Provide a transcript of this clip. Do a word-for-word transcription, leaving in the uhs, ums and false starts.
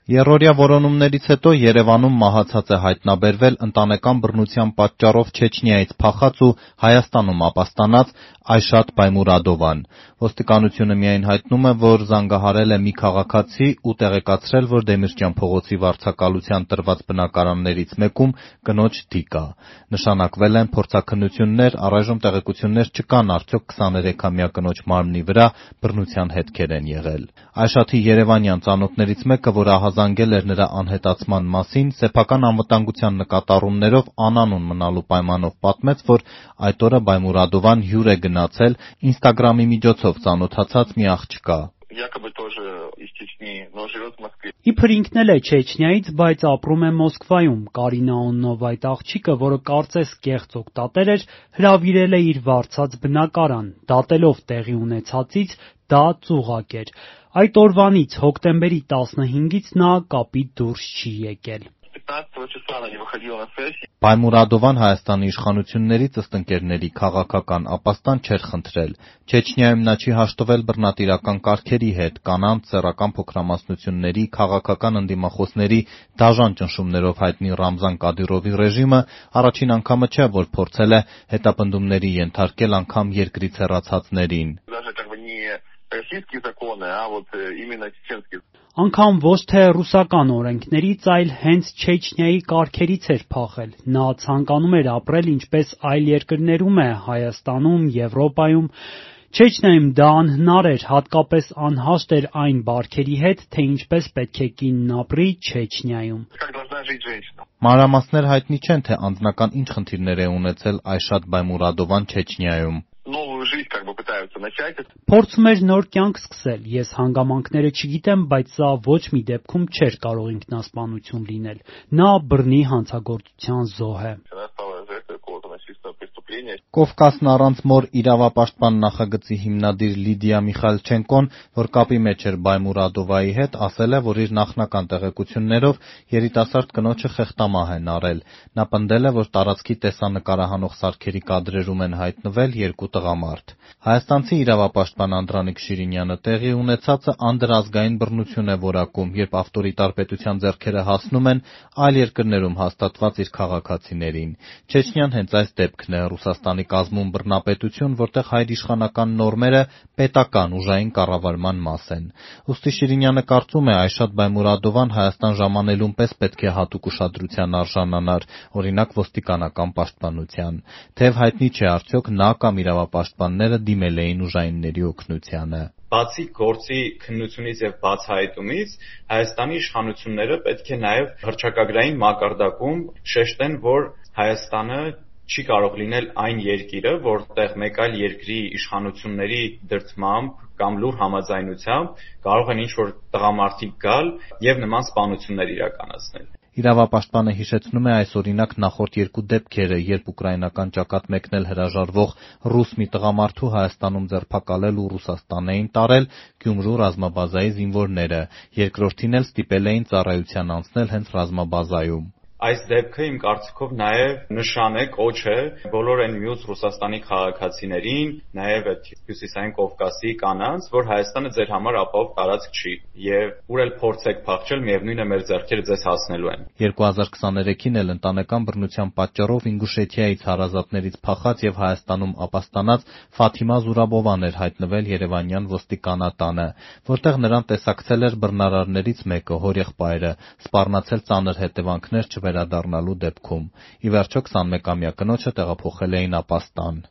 Եռօրյա որոնումներից հետո Երևանում մահացած է հայտնաբերվել ընտանեկան բռնության պատճառով Չեչնիայից փախած ու Հայաստանում ապաստանած Այշաթ Բայմուրադովան։ Ոստիկանությունը միայն հայտնում է, որ զանգահարել է մի քաղաքացի ու տեղեկացրել, որ Դեմիրճյան փողոցի վարձակալության տրված բնակարաններից մեկում կնոջ թի կա։ Նշանակվել են փորձաքննություններ, առայժմ տեղեկություններ չկան, արդյոք քսաներեքամյա կնոջ մարմնի վրա բռնության հետքեր են եղել։ Այշաթի երևանյան ծանոթներից մեկը, որ ահազանգել էր նրա անհետացման մասին, սեփական անվտանգության նկատառումներով անանուն մնալու պայմանով պատմեց, որ այդ օրը Բայմուրադովան հյուր է գնացել Ինստագրամի միջոցով ծանոթացած մի աղջկա։ Իբր ինքն էլ է Չեչնիայից, բայց ապրում է Մոսկվայում։ Կարինա անունով այդ աղջիկը, որը կարծես կեղծ օգտատեր էր, հրավիրել է իր վարձած բնակարան։ Դատելով տեղի ունեցածից, դա ծուղակ էր։ Այդ օրվանից հոկտեմբերի տասնհինգից նա կապից դուրս չի եկել։ Բայմուրադովան Հայաստանի իշխանություններից ըստ ընկերների քաղաքական ապաստան չէր խնդրել։ Չեչնիայում նա չի հաշտվել բռնատիրական կարգերի հետ, կանանց, սեռական փոքրամասնությունների, քաղաքական ընդդիմախոսների դաժան ճնշումներով հայտնի Ռամզան Կադիրովի ռեժիմը առաջին անգամը չէ, որ փորձել է հետապնդումների ենթարկել անգամ երկրից հեռացածներին։ Անգամ ոչ թե ռուսական օրենքներից, այլ հենց Չեչնիայի կարգերից էր փախել։ Նա ցանկանում էր ապրել ինչպես այլ երկրներում է, Հայաստանում, Եվրոպայում։ Չեչնիայում դա անհնար էր, հատկապես անհաշտ էր այն բարքերի հետ, թե ինչպես պետք է կինն ապրի Չեչնիայում։ Մանրամասներ հայտնի չեն, թե անձնական ինչ խնդիրներ է ունեցել Այշաթ Բայմուրադովան Չեչնիայում։ Փորձում էր նոր կյանք սկսել։ Ես հանգամանքները չգիտեմ, բայց սա ոչ մի դեպքում չէր կարող ինքնասպանություն լինել։ Նա բռնի հանցագործության զոհ է։ Կովկասն առանց մոր իրավապաշտպան նախագծի հիմնադիր Լիդիա Միխայլչենկոն, որ կապի մեջ էր Բայմուրադովայի հետ, ասել է, որ իր նախնական տեղեկություններով երիտասարդ կնոջը խեղդամահ են արել։ Նա պնդել է, որ տարածքի տեսանկարահանող սարքերի կադրերում են հայտնվել երկու տղամարդ։ Հայաստանցի իրավապաշտպան Անդրանիկ Շիրինյանը տեղի ունեցածը անդրազգային բռնություն է որակում, երբ ավտորիտար պետության ձեռքերը հասնում են այլ երկրներում հաստատված իր քաղաքացիներին։ Չեչնիան հենց այս դեպքն է, Ռուսաստանի կազմում բռնապետություն, որտեղ հայրիշխանական նորմերը պետական ուժային կառավարման մաս են։ Ուստի Շիրինյանը կարծում է, Այշաթ Բայմուրադովան Հայաստան ժամանելուն պես պետք է հատուկ ուշադրության արժանանար, օրինակ ոստիկանական պաշտպանության։ Թեև հայտնի չէ, արդյոք նա կամ իրավապաշտպանները դիմել էին ուժայինների օգնությանը։ Բացի գործի քննությունից եւ բացահայտումից, Հայաստանի իշխանությունները պետք է նաեւ հռչակագրային մակարդակում շեշտեն, որ Հայաստանը չի կարող լինել այն երկիրը, որտեղ մեկ այլ երկրի իշխանությունների դրդմամբ կամ լուր համաձայնությամբ կարող են ինչ-որ տղամարդիկ գալ եւ նման սպանություններ իրականացնել։ Իրավապաշտպանը հիշեցնում է այս օրինակ նախորդ երկու դեպքերը, երբ ուկրաինական ճակատ մեկնել հրաժարվող ռուս մի տղամարդու Հայաստանում ձերբակալել ու Ռուսաստան էին տարել Գյումրու ռազմաբազայի զինվորները, երկրորդին էլ ստիպել էին ծառայության անցնել հենց ռազմաբազայում։ Այս դեպքը իմ կարծիքով նաև նշան է, կոչ է բոլոր այն մյուս Ռուսաստանի քաղաքացիներին, նաև այդ հյուսիսային Կովկասի կանանց, որ Հայաստանը ձեր համար ապահով տարածք չի, եւ ուր էլ փորձեք փախչել, միևնույն է մեր ձեռքերը ձեզ հասնելու են։ երկու հազար քսաներեքին էլ ընտանեկան բռնության պատճառով Ինգուշեթիայից հարազատներից փախած եւ Հայաստանում ապաստանած Ֆաթիմա Զուրաբովան էր հայտնվել երևանյան ոստիկանատանը, որտեղ նրան տեսակցել էր բռնարարներից մեկը, հորեղբայրը, սպառնացել ծանր հետևանքներ վերադառնալու դեպքում։ Ի վերջո քսանմեկամյա կնոջը տեղափոխել էին ապաստան։